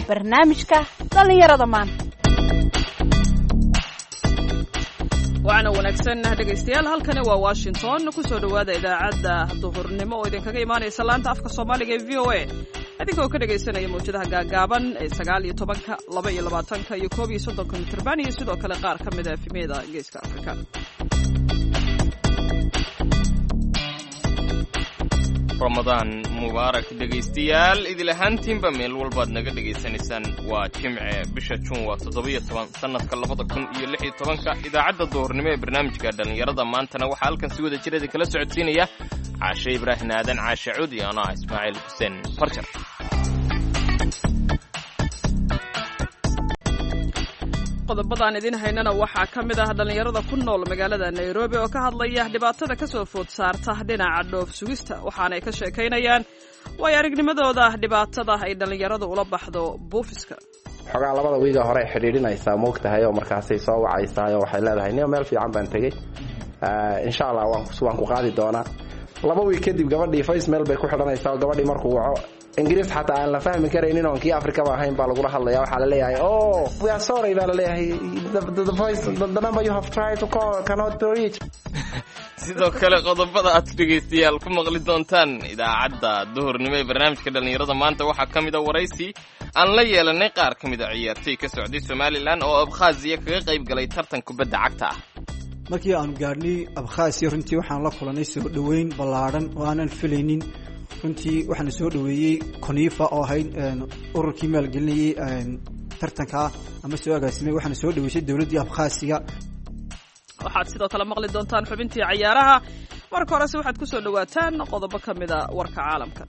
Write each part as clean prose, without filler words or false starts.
Barnaamijka dhallinyarada maanta. Waxaana wanaagsan, dhegaystayaal. Halkani waa Washington. Kusoo dhowaada idaacadda duhurnimo oo idinkaga imaanaysa laanta afka Soomaaliga ee VOA, idinkoo ka dhegaysanaya mawjadaha gaagaaban ee 19-ka, 22-ka iyo 31-ka mitirban, iyo sidoo kale qaar ka mida FM-yada Geeska Afrika. Ramadaan mubaarak, dhegaystayaal, idil ahaantiinba meel walbaad naga dhegaysanaysaan. Waa Jimce, bisha Juun waa 17, sannadka 2016-ka. Idaacadda duhurnimo ee barnaamijka dhallinyarada maantana waxaa halkan si wada jir idinkala socodsiinaya Caashe Ibraahim Aadan, Caashe Cuud, iyo anaa Ismaaciil Xuseen Farjar. Qodobadaan idin haynana waxaa ka mid ah dhallinyarada ku nool magaalada Nairobi oo ka hadlaya dhibaatada ka soo food saarta dhinaca dhoof sugista, waxaanay ka sheekaynayaan waayo aragnimadooda dhibaatada ay dhallinyaradu ula baxdo buufiska. Xogaa labada wiiga hore xidhiidhinaysaa, moog tahay, oo markaasay soo wacaysaa oo waxay leedahay, "Niyo, meel fiican baan tegey, insha Allah waan ku qaadi doonaa." 2 wiig kadib gabadhii face meel bay ku xidhanaysaa, oo gabadhii markuu waco Ingiriis xataa aan la fahmi karaynin oon kii Afrikaba ahayn baa lagula hadlaya. Waxaa la leeyahay, "Oh, we are sorry," baa la leeyahay, the voice, the number you have tried to call cannot be reached." Sidoo kale qodobada aad dhegaystayaal ku maqli doontaan idaacadda duhurnimo ee barnaamijka dhallinyarada maanta waxaa ka mid a waraysi aan la yeelanay qaar ka mid a ciyaartoy ka socday Somalilan oo Abkhaziya kaga qayb galay tartan kubadda cagta ah. Markii aanu gaadhnay Abkhaasiya, runtii waxaan la kulanay soo dhoweyn ballaadhan oo aanan filaynin. Runtii waxaana soo dhoweeyey CONIFA oo ahayd ururkii maalgelinayey tartankaa ama soo agaasimay. Waxaana soo dhoweysay dowladdii Abkhaasiga. Waxaad sidoo kale maqli doontaan xubintii cayaaraha. Marka horese waxaad ku soo dhowaataan qodobo ka mida warka caalamka.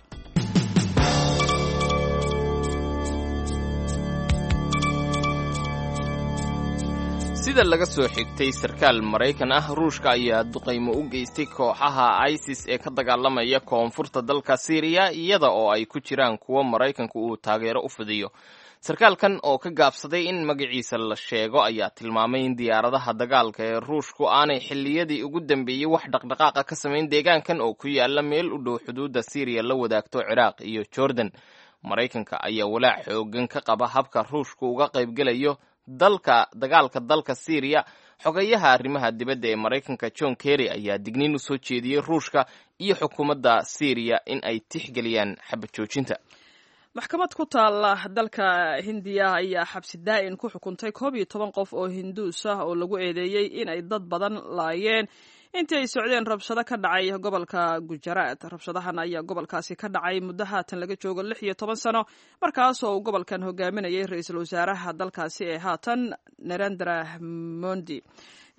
Sida laga soo xigtay sarkaal Maraykan ah, Ruushka ayaa duqaymo u geystay kooxaha ISIS ee ka dagaalamaya koonfurta dalka Siiriya, iyada oo ay ku jiraan kuwo Maraykanku uu taageero u fidiyo. Sarkaalkan oo ka gaabsaday in magaciisa la sheego ayaa tilmaamay in diyaaradaha dagaalka ee Ruushku aanay xilliyadii ugu dambeeyey wax dhaqdhaqaaqa ka samayn deegaankan oo ku yaala meel u dhow xuduudda Siiriya la wadaagto Ciraaq iyo Jordan. Maraykanka ayaa walaac xoogan ka qaba habka Ruushku uga qaybgelayo dalka dagaalka dalka Siiriya. Xogayaha arrimaha dibadda ee Maraykanka John Kerry ayaa digniin u soo jeediyey Ruushka iyo xukuumadda Siiriya in ay tixgeliyaan xabad joojinta. Maxkamad ku taala dalka Hindiya ayaa xabsi daa'in ku xukuntay 11 qof oo Hinduus ah oo lagu eedeeyey in ay dad badan laayeen intii ay socdeen rabshado ka dhacay gobolka Gujarat. Rabshadahan ayaa gobolkaasi ka dhacay muddo haatan laga joogo 16 sano, markaas oo uu gobolkan hogaaminayay ra-iisul wasaaraha dalkaasi ee haatan, Narendra Modi.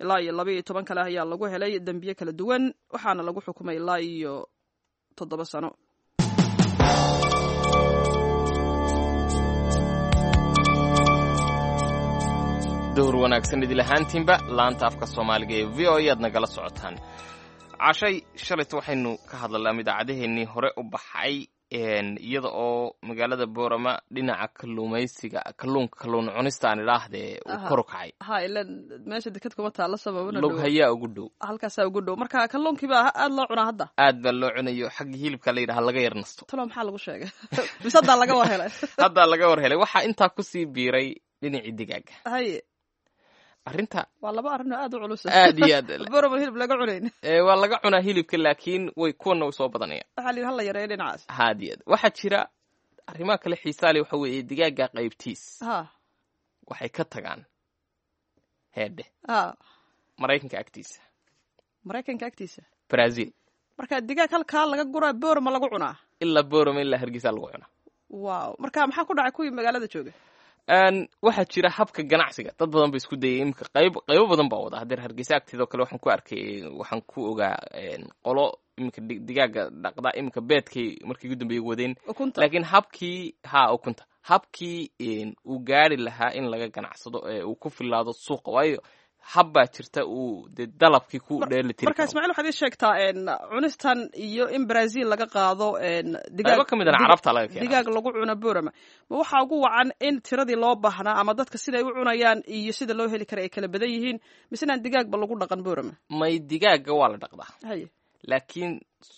Ilaa iyo 12 kale ayaa lagu helay dembiye kala duwan, waxaana lagu xukumay ilaa iyo 7 sano. Duhur wanaagsan idil ahaantiinba. Laanta afka Soomaaliga ee VOA aad nagala socotaan. Cashay, shalayta waxaynu ka hadlalaa idaacadaheennii hore u baxay, iyada oo magaalada Boorama dhinaca kalluumaysiga, kalluunka, kalluun cunista aan idhaahdee, uu kor u kacay. Ha, ilan meesha deked kuma taalla sababana. Lug hayaa ugu dhow. Halkaasaa ugu dhow. Marka kalluunkii baa aada loo cunaa hadda. Aad baa loo cunayo. Xagga hilibka la yidhaha laga yar nasto. Talo maxaa lagu sheegay? Mise haddaa laga war helay? Haddaa laga war helay. Waxaa intaa kusii biiray dhinacii digaaga. Haye. Arrinta waa laba arrin oo aad u culus. Aad iyo aad. Borama hilib laga cunayn. Waa laga cunaa hilibka, laakiin way kuwana way soo badanayaan. Waxaa la yidhi hala yareeyo dhinacaas. Aad iyo aad. Waxaa jira arrimaha kale xiisaale. Waxa weeye digaaga qaybtiis waxay ka tagaan heedhe Maraykanka agtiisa. Maraykanka agtiisa. Brazil. Marka digaag halkaa laga guraa Boorama lagu cunaa. Ilaa Boorama ilaa Hargeysa lagu cunaa. Wow, marka maxaa ku dhacay kuwii magaalada jooga? Waxaa jira habka ganacsiga dad badan ba isku dayay. Imika qayb qaybo badan baa wada hadeer. Hargeysa agteedoo kale waxaan ku arkay, waxaan ku ogaa qolo iminka digaaga dhaqda. Iminka beedkay markii ugu dambeeyay wadeen. Ukunta. Laakiin habkii ha ukunta, habkii uu gaari lahaa in laga ganacsado ee uu ku filaado suuqa, waayo hab baa jirta uu dee dalabkii ku dheelitiri Marka karo. Ismaaciil, waxaad ii sheegtaa cunistan iyo in Brazil laga qaado digaag. Qaybo ka mid ahna Carabta laga keenaa. Digaag lagu cuno Borama, ma waxaa ugu wacan in tiradii loo baahnaa ama dadka siday u cunayaan iyo sida loo heli kara ay kala badan yihiin, mise inaan digaagba lagu dhaqan Borama? May, digaaga waa la dhaqdaa. Haye. Laakiin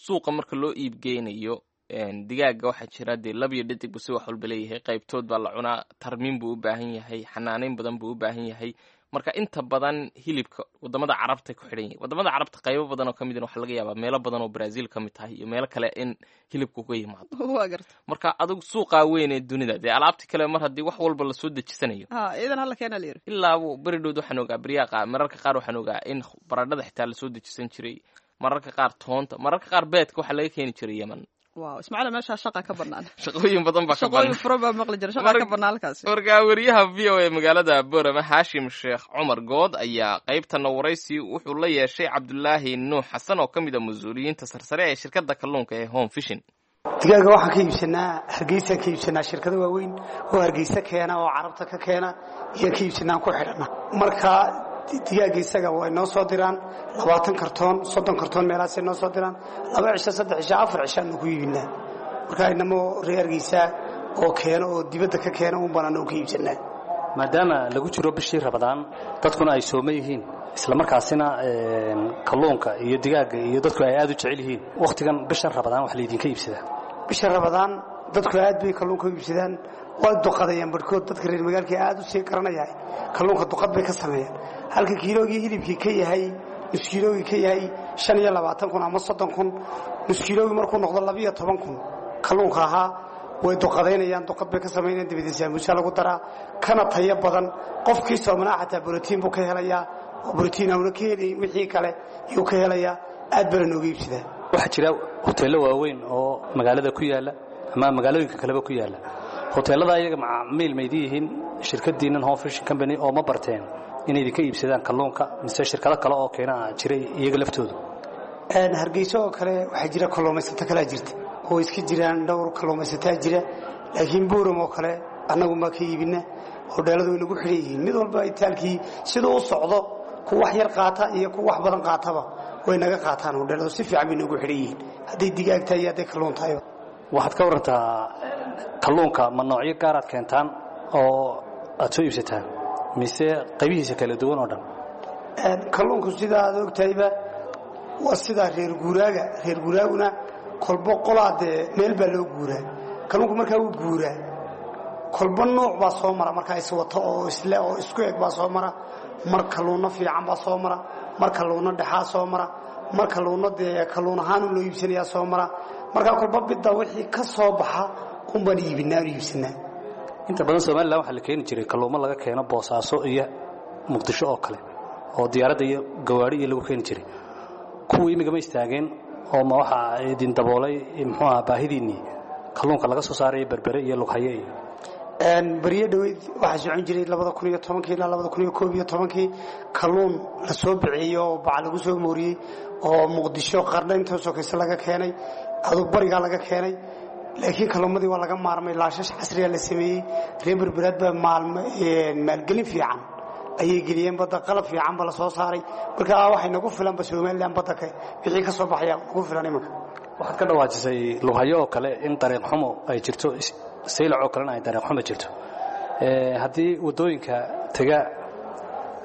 suuqa marka loo iibgeynayo Digaaga waxaa jira dee lab iyo dhadig buu si wax walba leeyahay, qaybtood baa la cunaa, tarmiin buu u baahan yahay, xanaaneyn badan buu u baahan yahay. Marka inta badan hilibka wadamada carabta ku xidhan yahay, wadamada carabta qaybo badan oo ka midna waxaa laga yaabaa meelo badan oo Brazil ka mid tahay iyo meelo kale in hilibku ka yimaado. Waa garta. Marka adigu suuqaa weyn ee dunida dee alaabti kale mar haddii wax walba lasoo dejisanayo, Ha, iidan hala keena la yidhi. Ilaa beri dhowd waxaan ogaa beryaha mararka qaar waxaan ogaa in baradhada xitaa lasoo dejisan jiray, mararka qaar toonta, mararka qaar beedka waxaa laga keeni jiray Yemen. Wow, Ismaaciil, meeshaa shaqa ka banaan. Shaqooyin badan baa ka shaqooyin banaan. Furan baa maqli jira, shaqa ka banaan halkaasi. Marka weriyaha VOA magaalada Boorama Haashim Sheekh Cumar Good ayaa qaybtana waraysi wuxuu la yeeshay Cabdulaahi Nuux Xasan oo ka mid a mas-uuliyiinta sarsare ee shirkadda kalluunka ee Home Fishing. Digaaga waxaan ka iibsanaa Hargeysaan ka iibsanaa, shirkado waaweyn oo Hargeysa keena oo Carabta ka keena iyo ka iibsanaan ku xidhana. Marka digaaga isaga way noo soo diraan 20 kartoon, 30 kartoon meelahaasay noo soo diraan. 2 cisho, 3 cisho, 4 cishaanu ku iibinaa. Marka inamo reer Hargeysa oo keeno oo dibadda ka keena uun baan anagu ka iibsanaa. Maadaama lagu jiro bishii Rabadaan, dadkuna ay sooma yihiin, islamarkaasina kalluunka iyo digaagga iyo dadku ay aad u jecel yihiin, wakhtigan bishan Rabadaan wax laydinka iibsadaa? Bisha Rabadaan dadku aad bay kalluunka u iibsadaan, waa duqadayaan barhkood. Dadka reer magaalka aad u sii garanayahay kalluunka duqad bay ka sameeyaan. Halka kiiloogii hilibkii ka yahay nus kiiloogii ka yahay 25,000 ama 30,000, nus kiiloogii markuu noqdo 12,000 kalluunka ahaa, way duqadaynayaan, duqad bay ka samaynayaan. Dabadeed saamuusa lagu daraa, kana tayo badan. Qofkii soomanaa xataa borotiin buu ka helayaa, oo borotiin auna ka helayn wixii kale yuu ka helayaa. Aad bana nooga iibsadaa. Waxaa jira hoteello waaweyn oo magaalada ku yaalla ama magaalooyinka kaleba ku yaalla. Hoteellada iyaga macaamiil maydin yihiin shirkadiinnan Home Fishing Company, oo ma barteen inay idinka iibsadaan kalluunka, mise shirkado kale oo keena jiray iyaga laftoodu? Hargeysa oo kale waxaa jira kalluumaysato kalaa jirta oo iska jiraan, dhowr kalluumaysataa jira. Laakiin Buuram oo kale annagu maa ka iibina. Hodheeladu way nagu xidhan yihiin, mid walba itaalkii siduu u socdo, ku wax yar qaata iyo ku wax badan qaataba way naga qaataan. Hodheeladu si fiican bay noogu xidhan yihiin, hadday digaag tahay iyo hadday kalluun tahay. Waxaad ka warantaa kalluunka, ma noocyo gaaraad keentaan oo aad soo iibsataan, mise qaybihiisa kala duwan oo dhan? Kalluunku sidaa aad ogtahayba waa sidaa reer guuraaga. Reer guuraaguna kolbo qolaa dee meel baa loo guuraa. Kalluunku markaa wuu guuraa, kolbo nooc baa soo mara, markaa iswato oo isle oo isku eg baa soo mara. Mar kalluunno fiican baa soo mara, mar kalluunno dhexaa soo mara, mar kalluunno dee kalluun ahaan loo iibsanayaa soo mara. Markaa kolbo bidda wixii ka soo baxa unbaan iibinaa, aanu iibsanaa. Inta badan Somalilan waxaa la keeni jiray kalluumo laga keeno Boosaaso iyo Muqdisho oo kale, oo diyaaradda iyo gawaari iyo lagu keeni jiray. Kuwii imigama istaageen, oo ma waxaa idin daboolay muxuu ahaa baahidiinnii kalluunka laga soo saaraya Berbere iyo Lughaye iyo? Beriyo dhoweyd waxaa socon jiray 2010-kii ilaa 2011-kii kalluun la soo bixiyey oo bac lagu soo mooriyey oo Muqdisho qardha intoo sokayse laga keenay, aduu barigaa laga keenay. Laakiin kalluumadii waa laga maarmay, laashash casriya la sameeyey. Reer Berberaad baa maalgelin fiican ayay geliyeen badda, qalab fiican ba la soo saaray. Marka waxay nagu filanba Somalilan badda ka wixii ka soo baxaya nagu filan imanka. Waxaad ka dhawaajisay Lughayo oo kale in dariiq xumo ay jirto, Saylac oo kalena ay dariiq xumo jirto. Haddii waddooyinka tega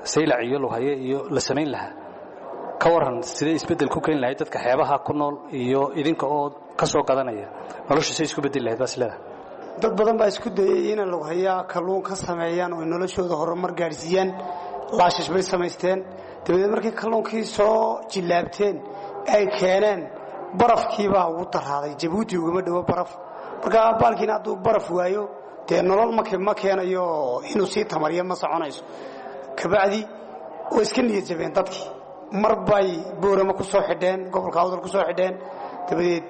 Saylac iyo Lughaye iyo la samayn lahaa, ka waran sidee isbeddel ku keeni lahayd dadka xeebaha ku nool iyo idinka oo ka soo gadanaya? Noloshu say isku beddeli lahayd baa isleedahay? Dad badan baa isku dayay inay Lughayaa kalluun ka sameeyaan oo noloshooda horumar gaadhsiiyaan. Laashash bay samaysteen. Dabadeed markay kalluunkii soo jillaabteen ay keeneen, barafkiibaa ugu daraaday. Jabuuti ugama dhowo baraf. Markaa baalkiina hadduu baraf waayo dee nolol ma keenayo, inuu sii tamariyo ma soconayso. Kabacdi way iska niyad jabeen dadkii. Mar bay Boorama ku soo xidheen, gobolka Awdal ku soo xidheen. Dabadeed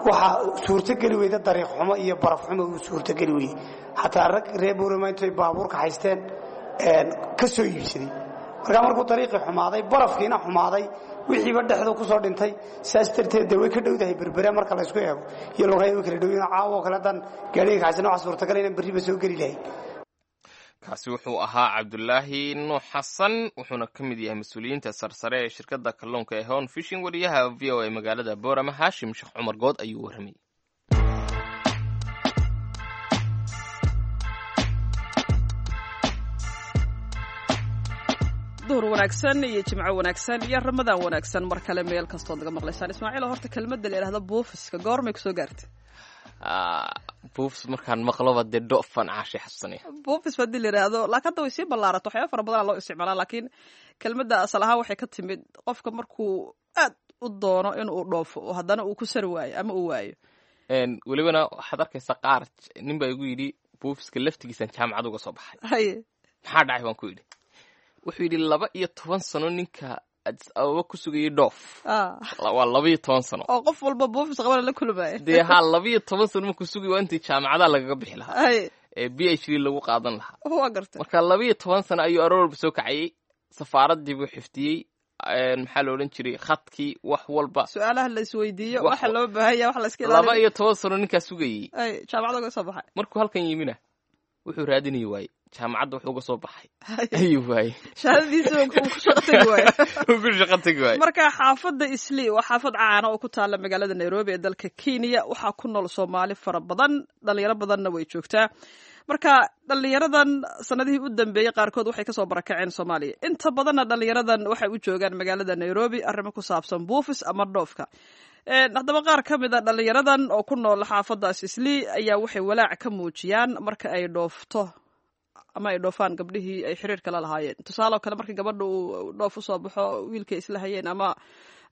waxaa suurtogeli weyda dariiq xumo iyo baraf xumo uu suurtogeli weyey. Xataa rag reer Boorama intay baabuurka haysteen ka soo iibsaday. Markaa markuu dariiqii xumaaday, barafkiina xumaaday, wixiiba dhexdu ku soo dhintay. Saas darteed dee way ka dhowdahay Berbere marka laysku eego iyo Lughayo, way kala dhowyiin. Caawo kale haddaan gaadhiga kaxaysan waxaa suurtagal inaan berriba soo geli lahayn. Kaasi wuxuu ahaa Cabdulaahi Nuux Xasan, wuxuuna ka mid yahay mas-uuliyiinta sarsare ee shirkadda kalluunka ee Hon Fishing. Wariyaha VOA magaalada Boorama Haashim Sheekh Cumar Good ayuu warramayay. Duhur wanaagsan iyo jimco wanaagsan iyo Ramadaan wanaagsan mar kale meel kastood naga maqlaysaan. Ismaaciil, horta kelmadda la idhahdo buufiska goormay kusoo gaartay? Buufis markaan maqloba dee dhoofan caashay xasuusanaya. Buufis haddii la yidhaahdo, laakiin hadda way sii ballaarato, waxyaaba fara badanaa loo isticmaalaa, laakiin kelmadda asal ahaan waxay ka timid qofka markuu aad u doono inuu dhoofo oo haddana uu ku sari waayo ama uu waayo. Welibana waxaad arkaysaa qaar, nin baa igu yidhi buufiska laftigiisaan jaamacad uga soo baxay. Haye. Maxaa dhacay baan ku yidhi. Wuxuu yidhi 12 sano ninka Addis Ababa ku sugayay dhoof. Waa 12 sano. Oo qof walba buufis qabana la kulmaya. Dee haa, 12 sano markuu sugay waa intii jaamacadaha lagaga bixi lahaa ee PhD lagu qaadan lahaa. Waa gartay. Marka 12 sano ayuu aroor walba soo kacayay, safaaradii buu xiftiyey, maxaa la odhan jiray, khadkii, wax walba. Su-aalaha la isweydiiyo, waxa loo baahan yahay, wax la iska ilaaliyo. 12 sano ninkaa sugayey. Ay jaamacada uga soo baxay. Markuu halkan yimina wuxuu raadinayay waaye, jaamacadda wuxuu uga soo baxay ayuu waayey. Shahaadadiisa uu ku shaqo tegi waayo. Uu ku shaqo tegi waaye. Marka xaafadda Islii waa xaafad caana oo ku taalla magaalada Nairobi ee dalka Kenya. Waxaa ku nool Soomaali fara badan, dhalinyaro badanna way joogtaa. Marka dhalinyaradan sanadihii u dambeeyey qaarkood waxay kasoo barakaceen Soomaaliya. Inta badanna dhalinyaradan waxay u joogaan magaalada Nairobi arrimo ku saabsan buufis ama dhoofka. Haddaba qaar ka mid a dhalinyaradan oo ku nool xaafadaas Islii ayaa waxay walaac ka muujiyaan marka ay dhoofto ama ay dhoofaan gabdhihii ay xiriirka la lahaayeen. Tusaale oo kale, marka gabadha uu dhoof usoo baxo, wiilkay isla hayeen ama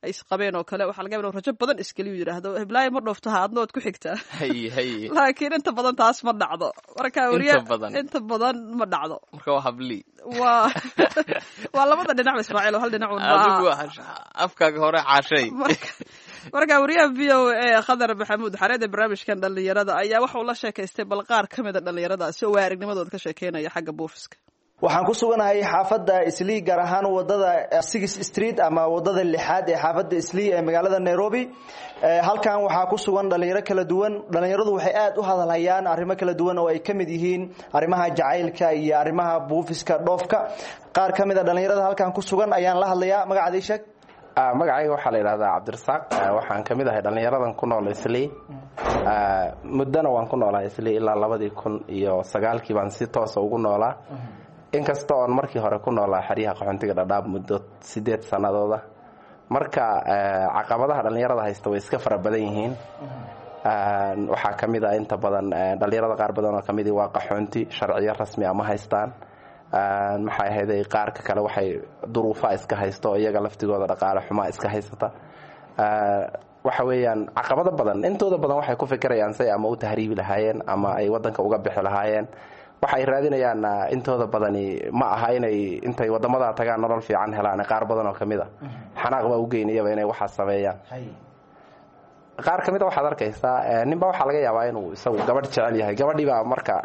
ay isqabeen oo kale, waxaa laga yaba inuu rajo badan iskeliyu yidhaahdo, heblaayo ma dhoofto, ha adna waad ku xigtaa. Haye haye. Laakiin inta badan taas ma dhacdo. Marka inta badan. Inta badan ma dhacdo. Marka waa habli. Waa labada dhinac Ismaaciil, oo hal dhinac un. Adigu afkaaga hore caashay. Marka wariyaha VOA Khadar Maxamuud Xareed ee barnaamijkan dhalinyarada ayaa waxa uu la sheekaystay bal qaar ka mid a dhalinyaradaasi oo waa aragnimadooda ka sheekeynaya xagga buufiska. Waxaan ku suganahay xaafadda Islii, gaar ahaan wadada Six Street ama wadada lixaad ee xaafadda Islii ee magaalada Nairobi. Halkan waxaa ku sugan dhalinyaro kala duwan. Dhalinyaradu waxay aad u hadalhayaan arrimo kala duwan oo ay ka mid yihiin arrimaha jacaylka iyo arrimaha buufiska dhoofka. Qaar ka mid a dhalinyarada halkan ku sugan ayaan la hadlayaa. Magacaada ii sheeg. Magacayga waxaa la yidhahdaa Cabdirasaaq. Waxaan ka mid ahay dhallinyaradan ku nool Islii. Muddona waan ku noolaa Islii, ilaa 2009-kii baan si toosa ugu noolaa, inkasta oon markii hore ku noolaa xeryaha qaxoontiga Dhadhaab muddo 8 sanadooda. Marka caqabadaha dhallinyarada haysta way iska fara badan yihiin. Waxaa ka mid ah, inta badan dhallinyarada qaar badan oo kamidii waa qaxoonti, sharciyo rasmi ama haystaan. Maxay ahayday, qaarka kale waxay duruufa iska haysto oo iyaga laftigooda dhaqaale xumaa iska haysata. Waxa weeyaan caqabado badan. Intooda badan waxay ku fikirayaan say ama u tahriibi lahaayeen ama ay wadanka uga bixi lahaayeen. Waxa ay raadinayaan intooda badani ma aha inay intay wadamada tagaan nolol fiican helaan. Qaar badan oo kamid a xanaaq baa u geynayaba inay waxaas sameeyaan. Qaar ka mid a waxaad arkaysaa ninba waxaa laga yaabaa inuu isagu gabadh jecel yahay. Gabadhii baa marka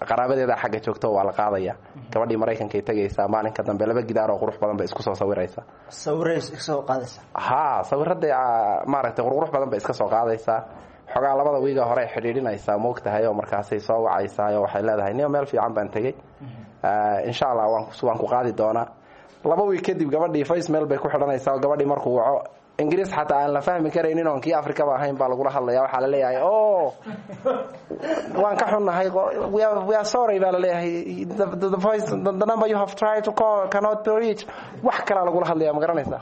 qaraabadeeda xagga joogto, waa la qaadaya gabadhii, Maraykankay tegaysaa. Maalinka dambe laba gidaar oo qurux badan bay isku soo sawiraysaa. Sawiraysoo qaadaysa. Haa, sawirada maaragtay qurqurux badan bay iska soo qaadaysaa. Xogaa labada wiiga hore xidhiidhinaysaa, moogtahay, oo markaasay soo wacaysaa oo waxay leedahay, niyo meel fiican baan tegey, insha Allah waan ku qaadi doonaa. 2 wiig kadib gabadhii face mail bay ku xidhanaysaa, oo gabadhii markuu waco Ingiriis xataa aan la fahmi karaynin oon kii Afrikaba ahayn baa lagula hadlaya. Waxaa la leeyahay, "O waan ka xunnahay, we are sorry," baa laleeyahay, the voice, the number you have tried to call cannot be reached." Wax kalaa lagula hadlaya, ma garanaysaa?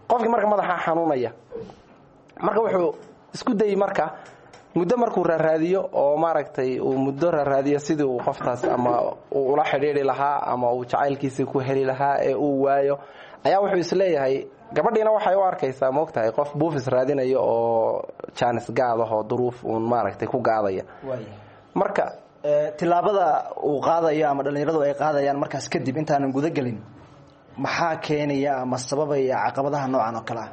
Qofkii marka madaxa xanuunaya. Marka wuxuu isku dayey, marka muddo markuu raaraadiyo oo maaragtay uu muddo raaraadiyo sidii uu qoftaas ama uu ula xidhiidhi lahaa ama uu jacaylkiisii ku heli lahaa ee uu waayo, ayaa wuxuu isleeyahay, gabadhiina waxay u arkaysaa, moogtahay, qof buufis raadinayo oo jaanis gaadahoo duruuf uun maaragtay ku gaadaya. Marka tillaabada uu qaadayo ama dhallinyaradu ay qaadayaan markaas kadib, intaanan guda gelin, maxaa keenaya ama sababaya caqabadaha noocan oo kale ah?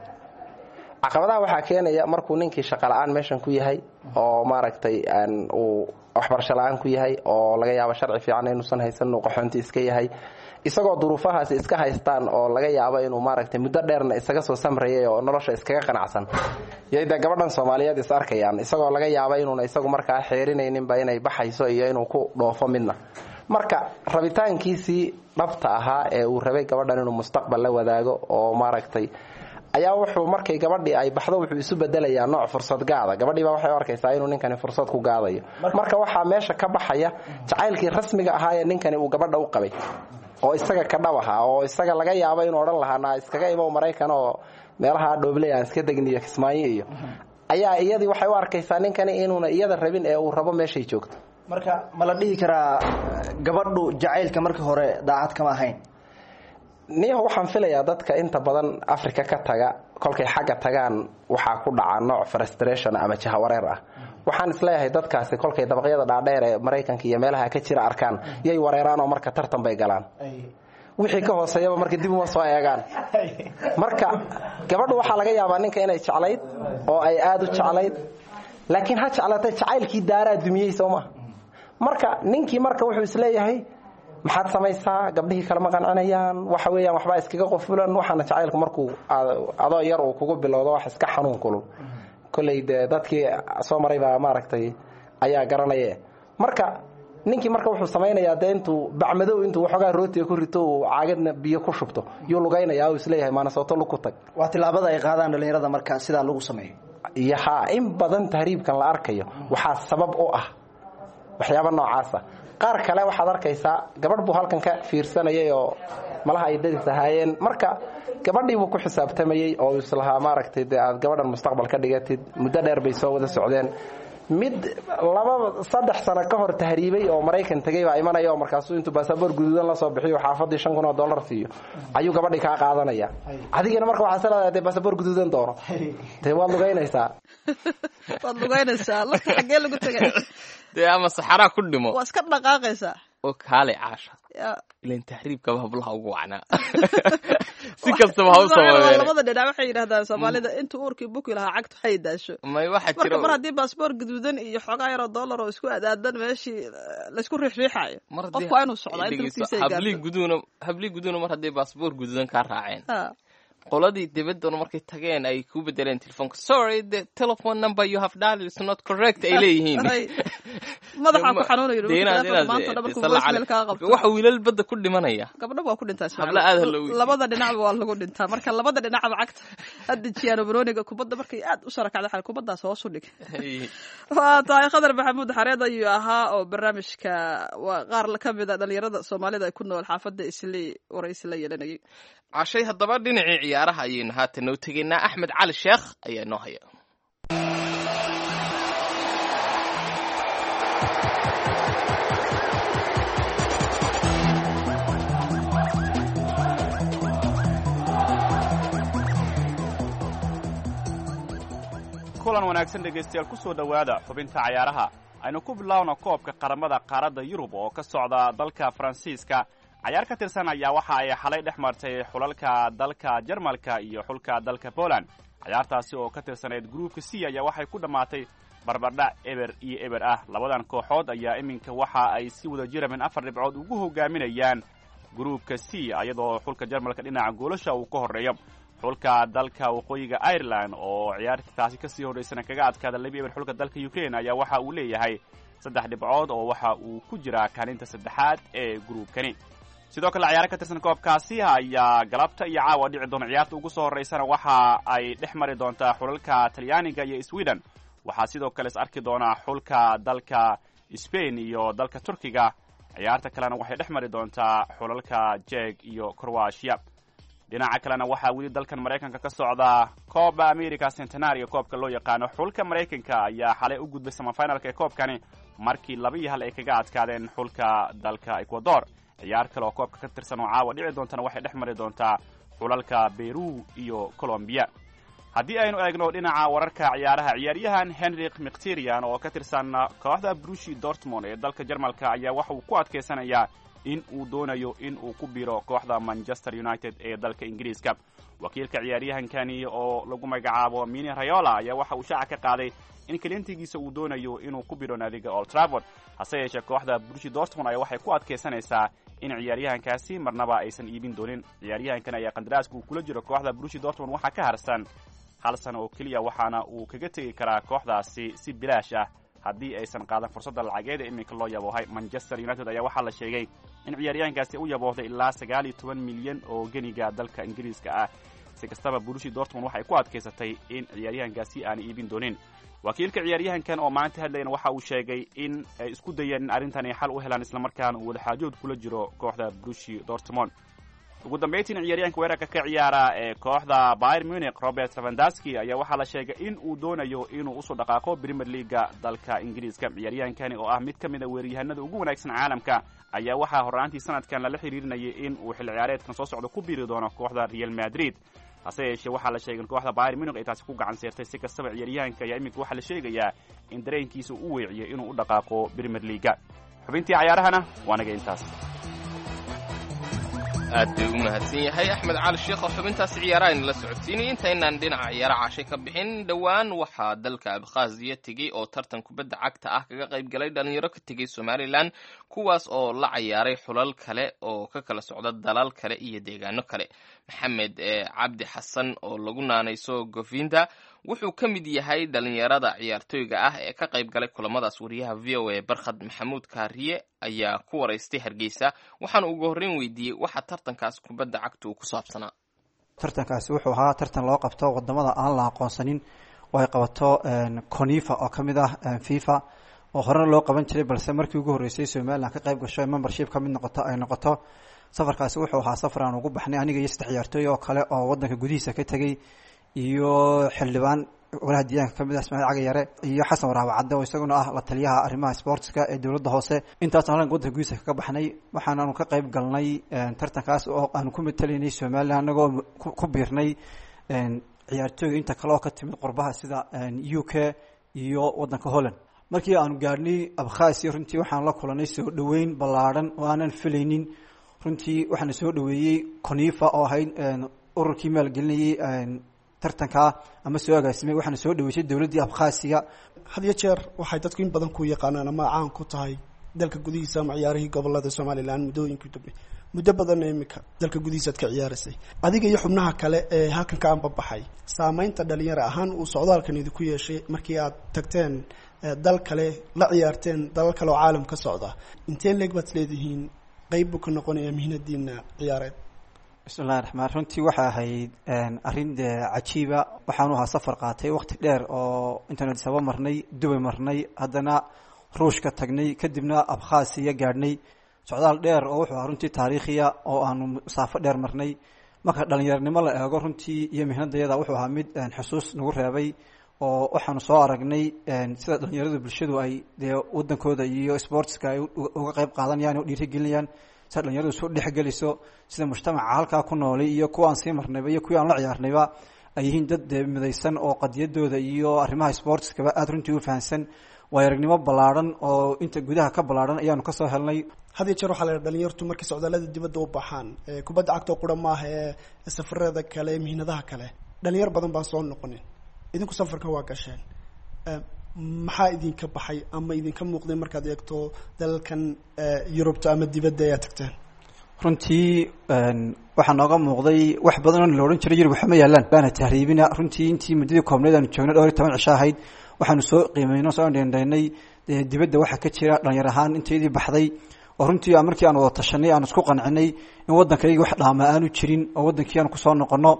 Caqabadaha waxaa keenaya markuu ninkii shaqo la-aan meeshan ku yahay oo maaragtay uu waxbarasho la-aan ku yahay, oo laga yaabo sharci fiican inuusan haysan, inuu qaxoonti iska yahay, isagoo duruufahaasi iska haystaan, oo laga yaabo inuu maaragtay muddo dheerna isaga soo samrayay oo nolosha iskaga qanacsan yay dee gabadhan Soomaaliyeed is arkayaan, isagoo laga yaabo inuuna isagu markaa xeerinayninba inay baxayso iyo inuu ku dhoofo midna. Marka rabitaankiisii dhabta ahaa ee uu rabay gabadhan inuu mustaqbal la wadaago oo maaragtay ayaa wuxuu markay gabadhii ay baxdo wuxuu isu bedelayaa nooc fursad gaada. Gabadhii baa waxay u arkaysaa inuu ninkani fursad ku gaadayo. Marka waxaa meesha ka baxaya jacaylkii rasmiga ahaa ee ninkani uu gabadha u qabay oo isaga ka dhab ahaa, oo isaga laga yaabo inuu odhan lahaa, "Naa iskaga imow Maraykan oo meelaha dhoobley aan iska degniyo, Kismaayo," iyo Ayaa iyadii waxay u arkaysaa ninkani inuuna iyada rabin ee uu rabo meeshay joogto. Marka ma la dhihi karaa gabadhu jacaylka markii hore daacad kama ahayn? Niyaho, waxaan filayaa dadka inta badan Africa ka taga, kolkay xagga tagaan waxaa ku dhaca nooc frustration ama jahawareer ah. Waxaan isleeyahay dadkaasi kolkay dabaqyada dhaadheer ee Maraykanka iyo meelaha ka jira arkaan yay wareeraan, oo marka tartan bay galaan, wixii ka hooseeyaba marka dib uma soo eegaan. Marka gabadhu waxaa laga yaabaa ninka inay jeclayd oo ay aada u jeclayd, laakiin ha jeclaatay, jacaylkii daaraa dumiyey, soo ma? Marka ninkii marka wuxuu isleeyahay, maxaad samaysaa, gabdhihii kalema qancinayaan, waxa weeyaan waxbaa iskaga qofulan. Waxaana jacaylku markuu adoo yar uu kugu bilowdo wax iska xanuun kulul, kolley dee dadkii soo maray baa maaragtay ayaa garanaye. Marka ninkii marka wuxuu samaynayaa dee intuu bacmadow intuu waxoogaa rootiga ku rito, uu caagadna biyo ku shubto, yuu lugaynayaa, uu isleeyahay maanasooto lug ku tag. Waa tilaabada ay qaadaan dhalinyarada marka sidaa lagu sameeyo. Iyo haa, in badan tahriibkan la arkayo waxaa sabab u ah waxyaaba noocaasa. Qaar kale waxaad arkaysaa gabadh buu halkan ka fiirsanayay oo malaha ay daris ahaayeen. Marka gabadhii buu ku xisaabtamayey oo islahaa maaragtay dee aad gabadhan mustaqbal ka dhigatid. Muddo dheer bay soo wada socdeen. Mid 2, 3 sano ka hor tahriibay oo Maraykan tegey baa imanaya, oo markaasuu intuu baasaboor guduudan la soo bixiyo, xaafadii $5,000 siiyo, ayuu gabadhii kaa qaadanaya. Adigina marka waxaa isleedahay dee baasaboor guduudan doono, dee waad lugaynaysaa. Waad lugaynaysaa, lugta xaggee lagu tegay? Dee ama saxaraa ku dhimo. Waa iska dhaqaaqaysaa. Oo kaale, Caasha. Ya. Ilan tahriibkaba hablaha ugu wacnaa, si kastaba ha u sameeyeen. Labada dhinac waxay yidhahdaan Soomaalida, intuu uurkii buki lahaa cagtu hay daasho. May, waxaa marka jira mar haddii baasboor gaduudan iyo xoogaa yaroo dollar oo isku adaadan meeshii laysku riixriixayo, mar haddii qofku waa inuu socdaa inta dhegeyso, lugtiisa ay hablii gaarto. Guduuna, hablii guduuna mar hadday baasboor guduudan kaa raaceen, qoladii dibadduna markay tageen ay ku bedeleen telefoonka, "Sorry, the telephone number you have dialed is not correct," ay leeyihiin. Ay, madaxaa ku xanuunayo Dee telefoonka inaad maanta dhan markuu salla voicemail kaa qabto. Waxa wiilal badda ku dhimanaya. Gabdho waa ku dhintaa, Ismaaciil. Habla aad ha loo weydiiyo. Labada dhinacba waa lagu dhintaa. Marka labada dhinacba cagta ha dejiyaan oo banooniga kubadda markay aad u sara kacda xal kubaddaas hoos u dhig. Waa tahay, Khadar Maxamuud Xareed ayuu ahaa oo barnaamijka waa qaar ka mid a dhalinyarada Soomaalida ay ku nool xaafadda Islii waraysi la yeelanayay. Cashay, haddaba dhinacii ciyaaraha ayaynu haatan noo tegaynaa. Axmed Cali Sheekh ayaa noo haya. Kulan wanaagsan dhegaystayaal, ku soo dhowaada xubinta cayaaraha. Aynu ku bilaawno koobka qaramada qaaradda Yurub oo ka socda dalka Faransiiska. Cayaar ka tirsan ayaa waxa ay xalay dhex martay xulalka dalka Jarmalka iyo xulka dalka Poland. Cayaartaasi oo ka tirsanayd gruupka C ayaa waxay ku dhammaatay barbardhac 0-0 ah. Labadan kooxood ayaa iminka waxa ay si wada jira min afar dhibcood ugu hogaaminayaan gruupka C, iyadoo xulka Jarmalka dhinaca goolasha uu ka horreeyo. Xulka dalka Waqooyiga Ireland oo ciyaartaasi kasii horreysana kaga adkaada 2-0 xulka dalka Ukraine ayaa waxa uu leeyahay saddex dhibcood, oo waxa uu ku jiraa kaalinta saddexaad ee gruubkani. Sidoo kale ciyaaro ka tirsan koobkaasi ayaa galabta iyo caawa dhici doona. Ciyaarta ugu soo horreysana waxa ay dhex mari doontaa xulalka Talyaaniga iyo Sweden. Waxaa sidoo kale is arki doonaa xulka dalka Spain iyo dalka Turkiga. Ciyaarta kalena waxay dhex mari doontaa xulalka Jeg iyo Croatia. Dhinaca kalena waxaa weli dalkan Maraykanka ka socda Copa America Centenario koobka loo yaqaano. Xulka Maraykanka ayaa xalay u gudbay semifinalka ee koobkani markii 2-1 ay kaga adkaadeen xulka dalka Ecuador. Ciyaar kale oo koobka ka tirsan oo caawa dhici doontana waxay dhex mari doontaa xulalka Peru iyo Colombia. Haddii aynu eegno dhinaca wararka ciyaaraha, ciyaaryahan Henrik Mkhitaryan oo ka tirsan kooxda Borussia Dortmund ee dalka Jarmalka ayaa waxa uu ku adkaysanayaa in uu doonayo in uu ku biro kooxda Manchester United ee dalka Ingiriiska. Wakiilka ciyaaryahankani oo lagu magacaabo Mini Raiola ayaa waxa uu shaaca ka qaaday in kaliintigiisa uu doonayo inuu ku biro naadiga Old Trafford. Hase yeeshee kooxda Borussia Dortmund ayaa waxay ku adkaysanaysaa in ciyaaryahankaasi marnaba aysan iibin doonin. Ciyaaryahankan ayaa qandaraaska uu kula jiro kooxda Borussia Dortmund waxaa ka harsan hal sano oo keliya, waxaana uu kaga tegi karaa kooxdaasi si bilaash ah haddii aysan qaadan fursadda lacageed ee iminka loo yaboohay. Manchester United ayaa waxaa la sheegay in ciyaaryahankaasi u yaboohday ilaa 19 milyan oo geniga dalka Ingiriiska ah. Si kastaba Borussia Dortmund waxay ku adkaysatay in ciyaaryahankaasi aanay iibin doonin. Wakiilka ciyaaryahankan oo maanta hadlayna waxa uu sheegay in ay isku dayeen in arrintan ay xal u helaan, islamarkaana uu wadaxaajood kula jiro kooxda Borussia Dortmund. Ugu dambayntiina ciyaaryahanka weerarka ka ciyaara ee kooxda Bayern Munich, Robert Lewandowski, ayaa waxaa la sheegay in uu doonayo inuu usoo dhaqaaqo Premier League-ga dalka Ingiriiska. Ciyaaryahankani oo ah mid ka mid a weeraryahanada ugu wanaagsan caalamka ayaa waxaa horraantii sanadkan lala xiriirinayay in uu xilli ciyaareedkan soo socda ku biiri doono kooxda Real Madrid. Hase yeeshee waxaa la sheegay in kooxda Bayern Munich ay taasi ku gacan seertay. Si kastaba, ciyaaryahanka ayaa iminka waxaa la sheegayaa in dareenkiisa uu weeciyey inuu u dhaqaaqo Premier League-ga. Xubintii cayaarahana waa naga intaas. Aad bay u mahadsan yahay Axmed Cali Sheekh oo xubintaasi ciyaaraha inala socodsiinayay. Intaynaan dhinaca ciyaara cashay ka bixin, dhowaan waxaa dalka Abkhaaziya tegey oo tartan kubadda cagta ah kaga qayb galay dhalinyaro ka tegey Somalilan, kuwaas oo la cayaaray xulal kale oo ka kala socda dalal kale iyo deegaano kale. Maxamed Cabdi Xasan oo lagu naanayso Govinda wuxuu ka mid yahay dhalinyarada ciyaartooyga ah ee ka qayb galay kulamadaas. Wariyaha VOA Barkhad Maxamuud Kaariye ayaa ku waraystay Hargeysa, waxaana ugu horreyn weydiiyey waxa tartankaas kubadda cagta uu ku saabsanaa. Tartankaasi wuxuu ahaa tartan loo qabto wadamada aan la aqoonsanin oo ay qabato CONIFA oo ka mid ah FIFA, oo horena loo qaban jiray, balse markii ugu horreysay Somaliland ka qayb gasho, membership ka mid noqoto ay noqoto. Safarkaasi wuxuu ahaa safar aan ugu baxnay aniga iyo saddex ciyaartooy oo kale oo wadanka gudihiisa ka tegey, iyo xildhibaan golaha deegaanka kamid ah, Ismaaciil Cagayare, iyo Xasan Waraaba Cadde oo isaguna ah la taliyaha arrimaha sportska ee dowladda hoose. Intaasaan halkan wadanka gudihiisa kaga baxnay. Waxaanaanu ka qayb galnay tartankaas oo aanu ku matalaynay Somaliland, anagoo ku biirnay ciyaartooyga inta kale oo ka timid qurbaha sida UK iyo wadanka Holland. Markii aanu gaadhnay Abkhasiya, runtii waxaan la kulanay soo dhoweyn ballaadhan oo aanan filaynin. Runtii waxaana soo dhoweeyey CONIFA oo ahayd ururkii maalgelinayay tartankaa ama soo agaasimay, waxaana soo dhaweysay dowladdii Abkhasiga. Had iyo jeer waxay dadku in badan ku yaqaanaan ama caan ku tahay dalka gudihiisa ama ciyaarihii gobolada Somaliland muddooyinkii dambe. Muddo badanna iminka dalka gudihiisa aad ka ciyaaraysay, adiga iyo xubnaha kale ee halkan ka anbabaxay, saameynta dhalinyaro ahaan uu socdaalkan idinku yeeshay markii aad tagteen dal kale, la ciyaarteen dalal kale oo caalam ka socda, intee leeg baad isleedihiin qeyb buu ka noqonayaa mihnadiina ciyaareed? Bismillahi raxmaan. Runtii waxay ahayd arrin dee cajiiba. Waxaanu ahaa safar qaatay waqti dheer oo intaanu Addis Ababa marnay, Dubay marnay, haddana Ruushka tagnay, kadibna Abkhasiya gaadhnay. Socdaal dheer oo wuxuu ahaa runtii taariikhiya oo aanu masaafo dheer marnay. Marka dhalinyaranimo la eego runtii iyo mihnadayada, wuxuu ahaa mid xusuus nagu reebay, oo waxaanu soo aragnay sida dhalinyaradu bulshadu ay dee wadankooda iyo sportska ay uga qayb qaadanayaan o dhiirigelinayaan, sida dhalinyaradu isu dhexgeliso, sida mujtamaca halkaa ku noolay iyo kuwa aan sii marnayba iyo kuwii aan la ciyaarnayba ay yihiin dad dee midaysan oo qadiyadooda iyo arrimaha sportskaba aada runtii u fahansan. Waayo aragnimo ballaadhan oo inta gudaha ka ballaadhan ayaanu kasoo helnay. Had iyo jeer waxaa la yidhaha dhalinyartu markay socdaallada dibadda u baxaan, kubadda cagta oo qura maaha ee safarada kale ee mihnadaha kale, dhalinyar badan baan soo noqonin. Idinku safarkan waa gasheen, maxaa idinka baxay ama idinka muuqday markaad eegto dalalkan Yurubta ama dibadda ayaa tagteen? Runtii waxaa nooga muuqday wax badan oo la odhan jiray Yurub waxma yaalaan baana tahriibina. Runtii intii muddadii koobneed aanu joognay, 14 cisho ahayd, waxaanu soo qiimeynay, soo dhendhaynay dibadda waxa ka jira dhalinyar ahaan inteydii baxday, oo runtii markii aan wada tashanay aan isku qancinay in waddankayga wax dhaama aanu jirin oo waddankii aan kusoo noqono.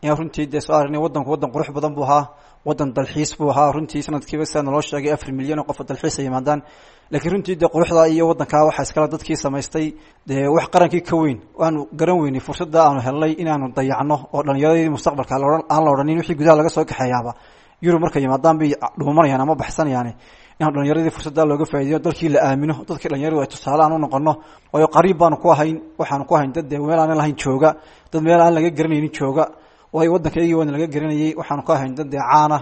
Ayaan runtii dee soo aragnay waddanku waddan qurux badan buu ahaa, waddan dalxiis buu ahaa. Runtii sanadkiiba sidaa naloo sheegay 4 milyan oo qof oo dalxiis ay yimaadaan. Laakiin runtii dee quruxda iyo waddankaa waxaa iskale dadkii samaystay. Dee wax qarankii ka weyn waanu garan weynay fursadda aanu helnay inaanu dayacno, oo dhalinyaradii mustaqbalka aan la odhanin wixii gudaha laga soo kaxeeyaaba Yurub markay yimaadaan bay dhuumanayaan ama baxsanayaan, inaan dhalinyaradii fursadda looga faa'iideeyo, dalkii la aamino, dadkii dhalinyaradu ay tusaale aan u noqono. Waayo qariib baanu ku ahayn, waxaanu ku ahayn dad dee meel aanan lahayn jooga, dad meel aan laga garanaynin jooga. Waayo waddankaygii waana laga garanayay, waxaanu ku ahayn dad dee caana.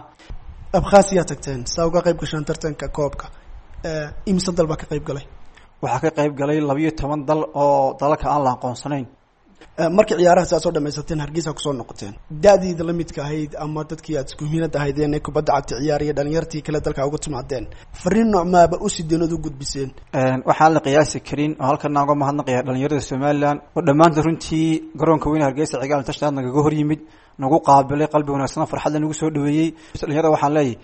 Abkhasiyaa tagteen saa uga qayb gashaan tartanka koobka. Imise dal baa ka qayb galay? Waxaa ka qayb galay 12 dal oo dalalka aan la aqoonsanayn. Markii ciyaaraha si aad soo dhamaysateen Hargeysa kusoo noqoteen, da-diida la midka ahayd ama dadkii aad isku miinad ahaydeen ee kubadda cagta ciyaariya, dhalinyartii kale dalka uga timaadeen, fariin noocmaaba u sideen ood u gudbiseen? Waxaan la qiyaasi karin oo halkan uga mahadnaqaya dhalinyarada Somaliland oo dhammaantood runtii garoonka weyne Hargeysa Cigaal International nagaga hor yimid, nagu qaabilay qalbi wanaagsan, farxadla nagu soo dhaweeyey. Dhalinyarada waxaan leeyahay,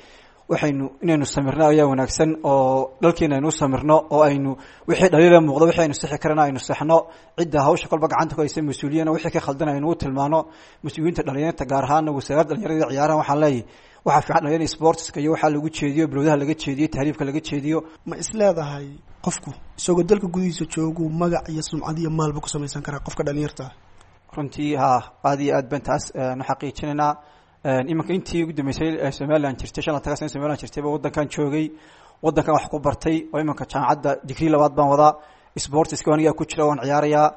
waxaynu inaynu samirno ayaa wanaagsan, oo dhalkeena aynu u samirno, oo aynu wixii dhaliila muuqdo, wixii aynu sixi karana aynu sixno, cidda hawsha kolba gacanta ku haysa mas-uuliyana wixii ka khaldan aynu u tilmaano. Mas-uuliyiinta dhalinyarta, gaar ahaana wasaaradda dhalinyarada iyo ciyaaraha, waxaan leeyahay waxaa fiican dhalinyarada sportska iyo waxaa lagu jeediyo, bilowdaha laga jeediyo, tahriibka laga jeediyo. Ma isleedahay qofku isagoo dalka gudihiisa joogu magac iyo sumcad iyo maalba ku samaysan karaa qofka dhalinyarta? Runtii haa, aad iyo aad baan taas nu xaqiijinaynaa. Iminka intii ugu dambeysay Somaliland jirtay, 55-ka sano Somaliland jirtayba, waddankan joogay, waddankan wax ku bartay, oo iminka jaamacadda digrii labaad baan wadaa. Sportiska anigaa ku jira, waan ciyaarayaa,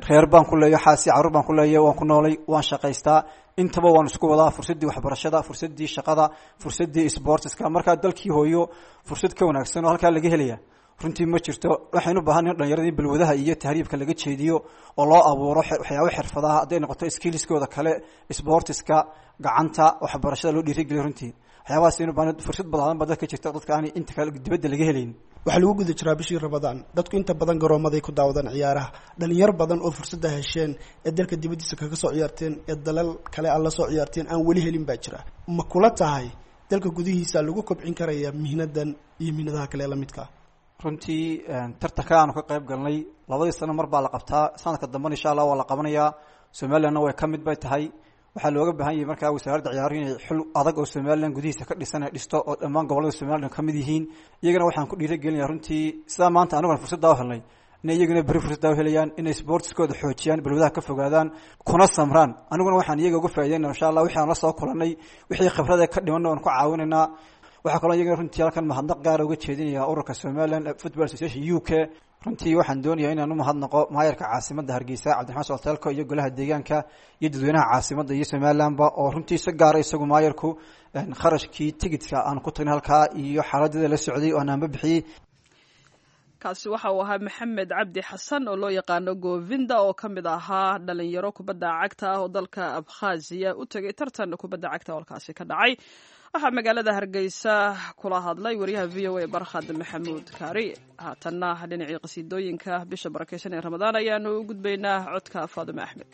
reer baan ku leeyo, xaasi carruur baan ku leeyo, waan ku noolay, waan shaqaystaa, intaba waan isku wadaa, fursaddii waxbarashada, fursaddii shaqada, fursaddii sportiska. Markaa dalkii hooyo fursad ka wanaagsan oo halkaa laga helaya runtii ma jirto. Waxaynu u baahan in dhalinyarada in balwadaha iyo tahriibka laga jeediyo oo loo abuuro waxyaabo xirfadaha, hadday noqoto skillskooda kale, sportiska, gacanta, waxbarashada loo dhiirigeliyo. Runtii waxyaabahaas aynu baahan, fursad balaadan baa dadka jirta, dadka aan inta kale dibadda laga helayn. Waxaa lagu guda jiraa bishii Ramadaan, dadku inta badan garoomaday ku daawadaan ciyaaraha. Dhalinyar badan oo fursadda hesheen ee dalka dibaddiisa kaga soo ciyaarteen ee dalal kale aan la soo ciyaarteen aan weli helin baa jira. Ma kula tahay dalka gudihiisa lagu kobcin karaya mihnadan iyo mihnadaha kale ee la midka? Runtii tartanka aanu ka qayb galnay labadii sano mar baa la qabtaa, sanadka dambena insha Allah waa la qabanayaa. Somalilandna way ka mid bay tahay. Waxaa looga baahan yahay markaa wasaaradda ciyaaruhu inay xul adag oo Somaliland gudihiisa ka dhisan ay dhisto, oo dhammaan gobollada Somaliland ka mid yihiin. Iyagana waxaan ku dhiirigelinayaa runtii, sidaa maanta aniguna fursaddaa u helnay, inay iyaguna berri fursaddaa u helayaan, inay sportiskooda xoojiyaan, balwadaha ka fogaadaan, kuna samraan. Aniguna waxaan iyaga uga faa'idaynaa insha Allah wixii aan la soo kulannay, wixii khibrada ka dhimanna waan ku caawinaynaa. Waxaa kaloo iyagana runtii halkan mahadnaq gaara uga jeedinaya ururka Somaliland Football Association UK. Runtii waxaan doonayaa inaan u mahadnaqo maayarka caasimadda Hargeysa, Cabdiraxmaan Solteelko, iyo golaha deegaanka iyo dadweynaha caasimadda iyo Somalilandba, oo runtii si gaara isagu maayarku kharashkii tigidka aan ku tagnay halkaa iyo xaaladada la socday oo aan anba bixiyey. Kaasi waxa uu ahaa Maxamed Cabdi Xasan oo loo yaqaano Govinda, oo ka mid ahaa dhalinyaro kubadda cagta ah oo dalka Abkhaziya u tegay tartan kubadda cagta oo halkaasi ka dhacay. Waxaa magaalada Hargeysa kula hadlay wariyaha VOA Barkhad Maxamuud Kaari. Haatanna dhinacii qasiidooyinka bisha barakeysan ee Ramadaan ayaanu u gudbaynaa, codka Faadime Axmed.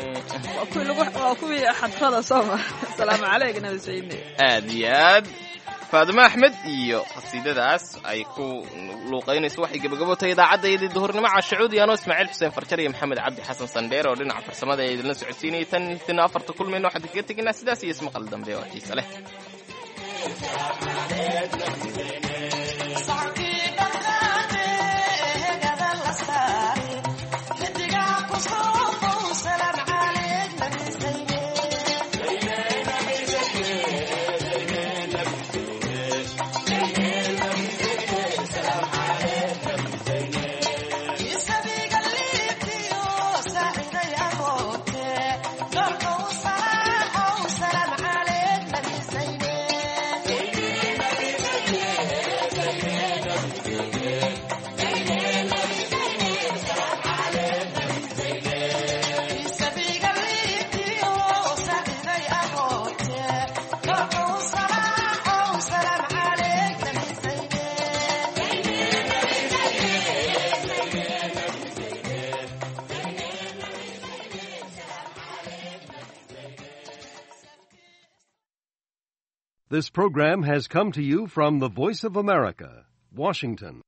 Waa kuwii xadfada sooma? Asalaamu calayk nabi sayni. Aad iyo aad, Faadimo Axmed iyo qasiidadaas ay ku luuqaynayso waxay gebagabo tahay idaacaddaydii duhurnimo. Cashacuudi anoo Ismaaciil Xuseen Farjar iyo Maxamed Cabdi Xasan Sandheer oo dhinaca farsamada ee idinla socodsiinayay, tan tina afarta kulmayno waxaan kaga tegaynaa sidaas iyo ismaqal dambe oo xiise leh. This program has come to you from the Voice of America, Washington.